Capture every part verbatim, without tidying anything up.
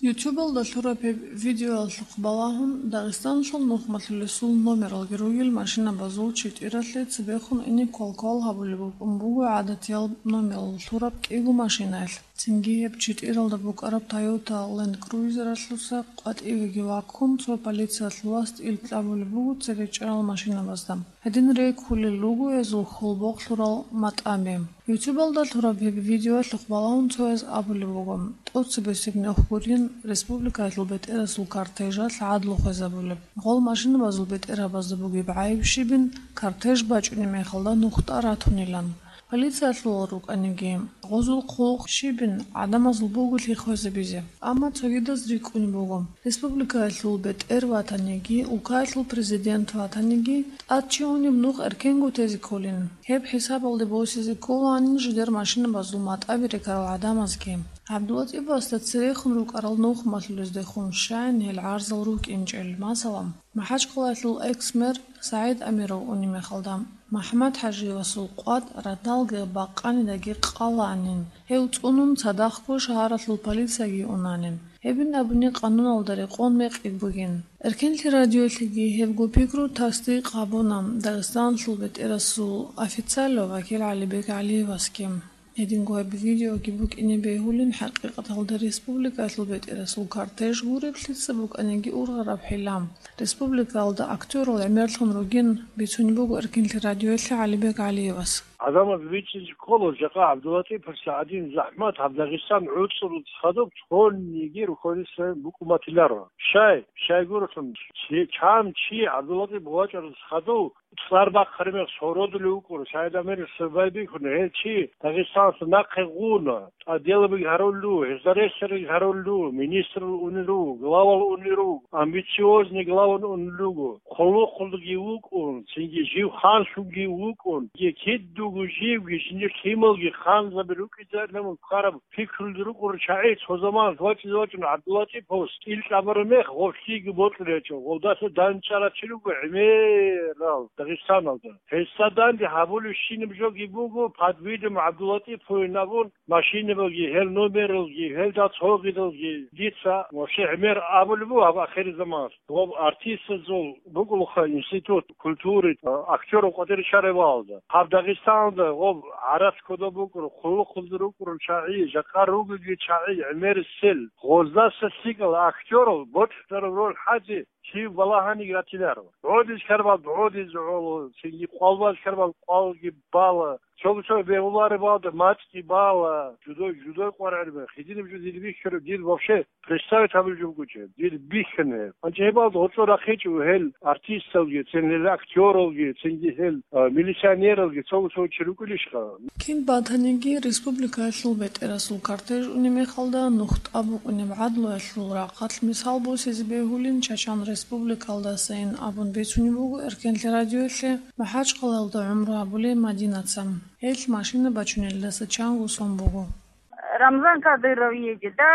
Ютубалда лъураб гьеб видеоялъухъ балагьун, Дагъистаналъул нухмалъулесул номералги ругел машинабазул читӀиралъе цебехун ине квалквал гьабулеб букӀун буго гӀадатиял номерал лъураб кӀиго машинаялъ. Цинги гьеб читӀиралда букӀараб Toyota Land Cruiser-алъуса къватӀивеги ваккун, цо полициялъул васде ил кьабулеб буго цере чӀарал машинабазда. Гьедин рекӀкӀулел руго гьезул хьул-бокьуларел матӀаби. Ютубалда лъураб гьеб видеоялъухъ балагьун цояз абулеб буго, тӀоцебесеб нух гурин республикаялъул бетӀерасул кортежалъ гӀадлу хвезабулеб. Гъол машинабазул бетӀерабазда бугеб гӀайиб щибин, кортеж бачӀунеб мехалда нухда ратунилан. Полициялъул рукӀаниги, гъозул хъулухъ щибин гӀадамазул буголъи хвезабизе. Амма цогидаз рикӀкӀунеб буго, республикаялъул бетӀер ватаниги, улкаялъул президент ватаниги, тӀад чи унеб нух эркенго тезе кколин. Гьеб хӀисабалде босизе кколаанин жидер машинабазул матӀаби рекарал гӀадамазги. ГӀабдулатӀиповасда церехун рукӀарал нухмалъулездехун щайин гьел гӀарзал рукӀинчӀел, масала, МахӀачкъалаялъул экс-мэр СагӀид Амиров унеб мехалда, МахӀмад-ХӀажиевасул къватӀ радалги бакъанидаги къалаанин, гьев цӀунун цадахъго шагьаралъул полицияги унанин. Гьебин абуни къануналда рекъон мекъи бугин. Эркенлъи радиолъеги гьебго пикру тасдикъ гьабуна Дагъистаналъул бетӀерасул официалав вакил ГӀалибек ГӀалиевасги. Гьединго гьеб видеоги букӀине бегьулин, хӀакъикъаталда республикаялъул бетӀерасул кортеж гуреб лъица букӀаниги ургъараб хӀилан, республикаялда актёрал гӀемерлъун ругин, бицунеб буго Эркенлъи радиоялъе ГӀалибек ГӀалиевас. ГӀадамаз бичӀчӀизе ккола, жакъа ГӀабдулатӀиповас гӀадин захӀмат гьаб Дагъистан гӀуцӀрулъ хадуб цониги рухьулесда букӀун батиларо. Щай, щайгурелъул, чи, чан чи ГӀабдулатӀипов вачӀарас хадув, цӀар бахъараб мех сородулев вукӀуна, СагӀид Амиров свербай бихьуна, гьев чи Дагъистаналъ нахъе гъуна, тӀаделаби гьарулев, гьезда ресари гьарулев, министрал унел руго, главал унел руго, амбициозный главал унел руго, хъулухъулги вукӀун, цинги жив ханлъунги вукӀун, кидуго живги, жиндир лъималги ханзаби рукӀиндал ккараб пикрулги рукӀурал чагӀи цо заманалъ вачӀине вачӀун ГӀабдулатӀиповас ил кьабараб мех гъорлъиги бокьулеб гьечӀо, гъолдаса данчӀарав чи руго гӀемерал Дагъистаналда. Гьесда данде гьабулебщинаб жоги буго, под видом ГӀабдулатӀиповин абун, машинабалги, гьел номералги, гьелда цогидалги дица вообще гӀемер абулеб буго гьаб ахирзаманалъ. Гъоб артистазул букӀулаха институт культуры, а, актёров къватӀире чараб балалда. Гьаб Дагъистаналда гъоб гӀарац кодоб букӀун, хъулухъулда рукӀун чагӀи, жакъа ругоги чагӀи гӀемерисел, гъоздаса лъикӀал актёрал бокьараб роль хӀазе чи балагьаниги ратиларо. ГӀодизе ккараб гӀодизе гӀоло, цинги къвалбазе ккараб къвалги бала, цо-цо бегьулареб балда мацӀги бала, жудой, жудой къваригӀел мех, гьединаб жо дир бихьараб, дир вообще представить гьабулеб жо бугечӀеб, дир бихьана гьеб. Гьанже гьеб балда гъоркьо рахъичӀо гьел артисталги, цин гьел актёралги, цинги гьел, а, милиционералги, цо-цо чи рукӀунищха? Кин батаниги, республикаялъул бетӀерасул кортеж унеб мехалда нухда букӀунеб гӀадлуялъул рахъалъ мисал босизе бегьулин, Чачан Республикалдасайин абун бицунеб буго Эркенлъи радиоялъе МахӀачкъалаялда гӀумру гьабулей Мадинаца. Гьелъ машина бачунелдаса чанго сон буго. Рамзан Кадыров едет, да,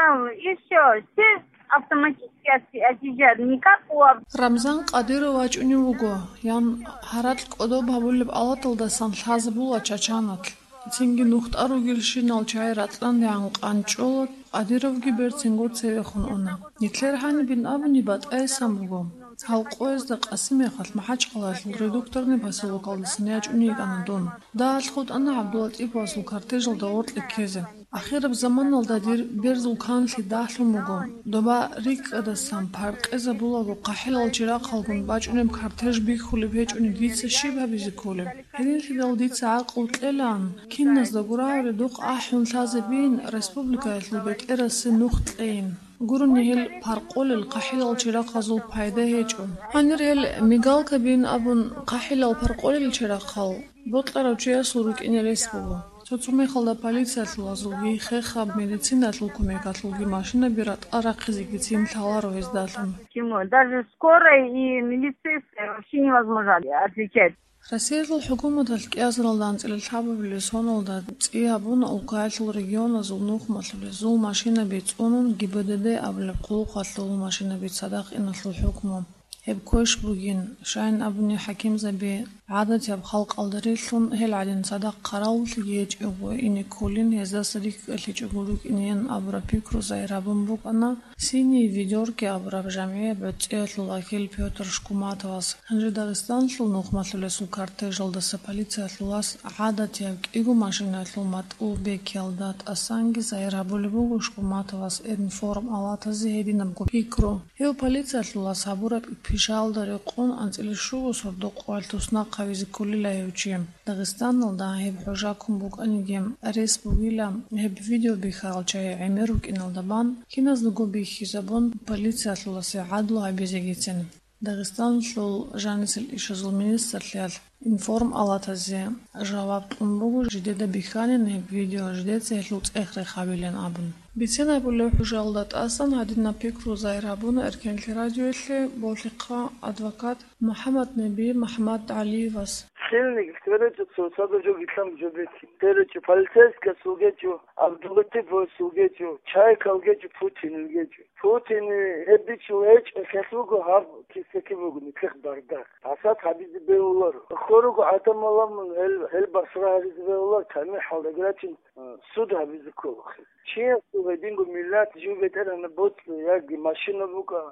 и всё, все автоматически отъезжают, никак у Аб- Рамзан Кадыров вачӀунев вуго, ян гьаракь кӀодоб гьабулеб алаталдасан лъазабула Чачаналъ. Цинги нухда ругелщинал чагӀи рацӀцӀандегӀан къанчӀола, Кадыровги берцинго цевехун уна. Нилъер гьанибин абуни батӀайсан буго. Гьал къоязда къаси мехалъ МахӀачкъалаялъул Редукторный поселокалдасан ячӀун йикӀана дун. Дагьалъ хутӀана ГӀабдулатӀиповасул кортежалда гъоркье ккезе. Ахираб заманалда дир берзул канлъи дагьлъун буго. Доба рикӀкӀадасан паркъезабулаго хъахӀилал чирахъалгун бачӀунеб кортеж бихьулеб гьечӀони дица щиб гьабизе кколеб? Гьединлъидал дица гӀакълу кьелаан, киназдаго рагӀури духъ ахӀун лъазабийин, республикаялъул бетӀерасе нух кьейин. Гурони гьел паркъолел хъахӀилал чирахъазул пайда гьечӀо. Гьанир гьел мигалкабин абун хъахӀилал паркъолел чирахъал бокьарав чиясул рукӀине рес буго. Цо-цо мехалда полициялъулазулги, хехаб медициналъул кумекалъулги машинаби ратӀа рахъизегицин лъаларо гьездалъун. Почему? Даже скорой и милицейской вообще невозможно отличать. Россиялъул хӀукуматалъ кӀиазаралда анцӀила лъабабилеб соналда цӀи гьабуна улкаялъул регионазул нухмалъулезул машинаби цӀунун ГИБДД абулеб хъулухъалъул машинаби цадахъ иналъул хӀукму. Гьеб квеш бугин, щайин абуни хӀакимзаби ГӀадатияб халкъалда релълъун гьел гӀадин цадахъ хъаравуллъиги гьечӀого ине кколин, гьездаса рикӀкӀалъичӀого рукӀинеян абураб пикру загьир гьабун букӀана Синие ведёрки абураб жамгӀияб гӀуцӀиялъул вакил Пётр Шкуматовас. Гьанже Дагъистаналъул нухмалъулесул кортежалдаса полициялъулас гӀадатияб кӀиго машинаялъул матӀу бекиялда тӀасанги загьир гьабулеб буго Шкуматовас информалатазе гьединабго пикру. Гьев полициялъулас гьабураб пишаялда рекъон анцӀила щуго сордо къоялъ туснахъ гьавизе кколила гьев чи. Дагъистаналда гьеб хӀужа ккун букӀаниги, рес бугила гьеб видеобихьарал чагӀи гӀемер рукӀиналда бан, киназдаго бихьизабун, полициялъуласе гӀадлу гьабизегицин. Дагъистаналъул жанисел ишазул министрлъиялъ информалатазе жаваб кьун буго, жидеда бихьанин гьеб видео, жидеца гьелъул цӀех рехабилин абун. Бицен абулеб хӀужаялда тӀасан гьадинаб пикру загьир гьабуна Эркенлъи радиоялъе болъихъа адвокат МухӀаммаднеби МухӀаммадгӀалиевас. Хилник, сверечӀо цо, цадахъ жо гилъан жо бетин. СверечӀо, полицейскиясул гьечӀо, ГӀабдуллатиповасул гьечӀо, Чайкал гьечӀо, Путинил гьечӀо. Путин гьеб бичун гьечӀо, хелъ буго гьаб кисеки буго нилъехъ бардак. Асад гьабизе бегьуларо. Хьоруго гӀадамал ламун гьел, гьел басра гьаризе бегьуларо, тамихӀалда грачин, э, суд гьабизе ккола. Чиясул гьединго миллат жив бетӀергьанаб боцӀи, яги машина букӀа,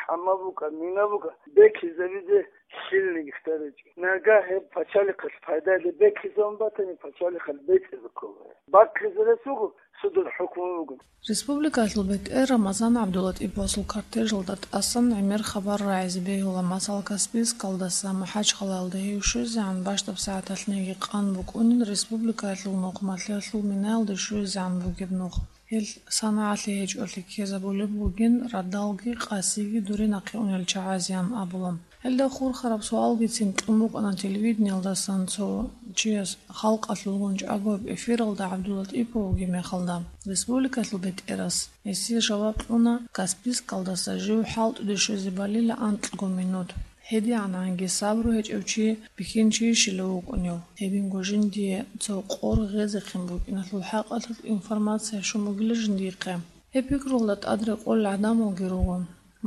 хӀама букӀа, мина букӀа, бекизабизе хилниги хтарачӀо. Нагагь гьеб пачалихъалъ пайдале бекизабун батани, пачалихъалъ бецӀизе ккола. Баккизе рес буго, судул хӀукму буго. Республикалъул бетӀер Рамазан ГӀабдулатӀиповасул кортежалда тӀасан гӀемер хабар рагӀизе бегьула, масала, Каспийскалдаса МахӀачхъалаялда гьев щвезегӀан бащдаб сагӀаталъниги къан букӀунин, республикалъул нухмалъулелъул минаялде щвезегӀан бугеб нух. Гьел санагӀалъи гьечӀолъи ккезабулеб бугин, радалги къасиги дурин нахъе унел чагӀазеян абула. Гьелда хурхараб суалгицин кьун букӀана телевидениялдасан цо чияс, халкъалъулгун чӀаго эфиралда ГӀабдулатӀипов вугеб мехалда. Республикалъул бетӀерас гьесие жаваб кьуна, Каспийскалдаса жив хӀалтӀуде щвезе балила анкьго минут. ГьедигӀананги сабру гьечӀев чи бихьинчийищила вукӀунев? Гьединго жиндие цо къор гъезехъин букӀиналъул хӀакъалъулъ информация щун бугила жиндихъе. Гьеб пикруялда тӀад рекъолел гӀадамалги руго.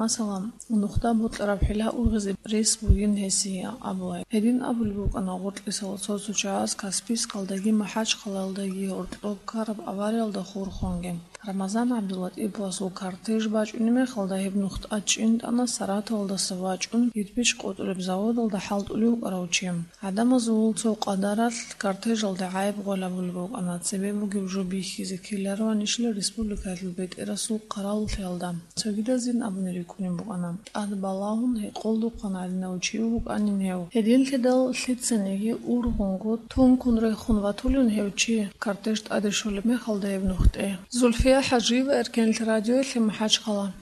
Масала, нухда бокьараб хӀила ургъизе рес бугин гьесие абула. Гьедин абулеб букӀана гъоркьисал цо-цо чагӀаз Каспийскалдаги МахӀачхъалаялдаги гьоркьоб ккараб авариялда хурхунги. Рамазан ГӀабдулатӀиповасул кортеж бачӀунеб мехалда гьеб нух тӀадчӀин тӀана Саратовалдаса вачӀун кирпич къотӀулеб заводалда хӀалтӀулев вукӀарав чи. ГӀадамазул цо къадаралъ кортежалде гӀайиб гъолеб бугеб букӀана, цебе бугеб жо бихьизе ккелароанищила республикалъул бетӀерасул хъаравуллъиялда. Цогидазин абуни рикӀкӀунеб букӀана, тӀад балагьун гьекъолдухъан гӀадинав чи вукӀанин гьев. Гьединлъидал лъицаниги ургъунго тункун рехун ватулин гьев чи, кортеж тӀаде щолеб мехалда гьеб нухде. Зульфия ХӀажиева, Эркенлъи радиоялъе, МахӀачхъала.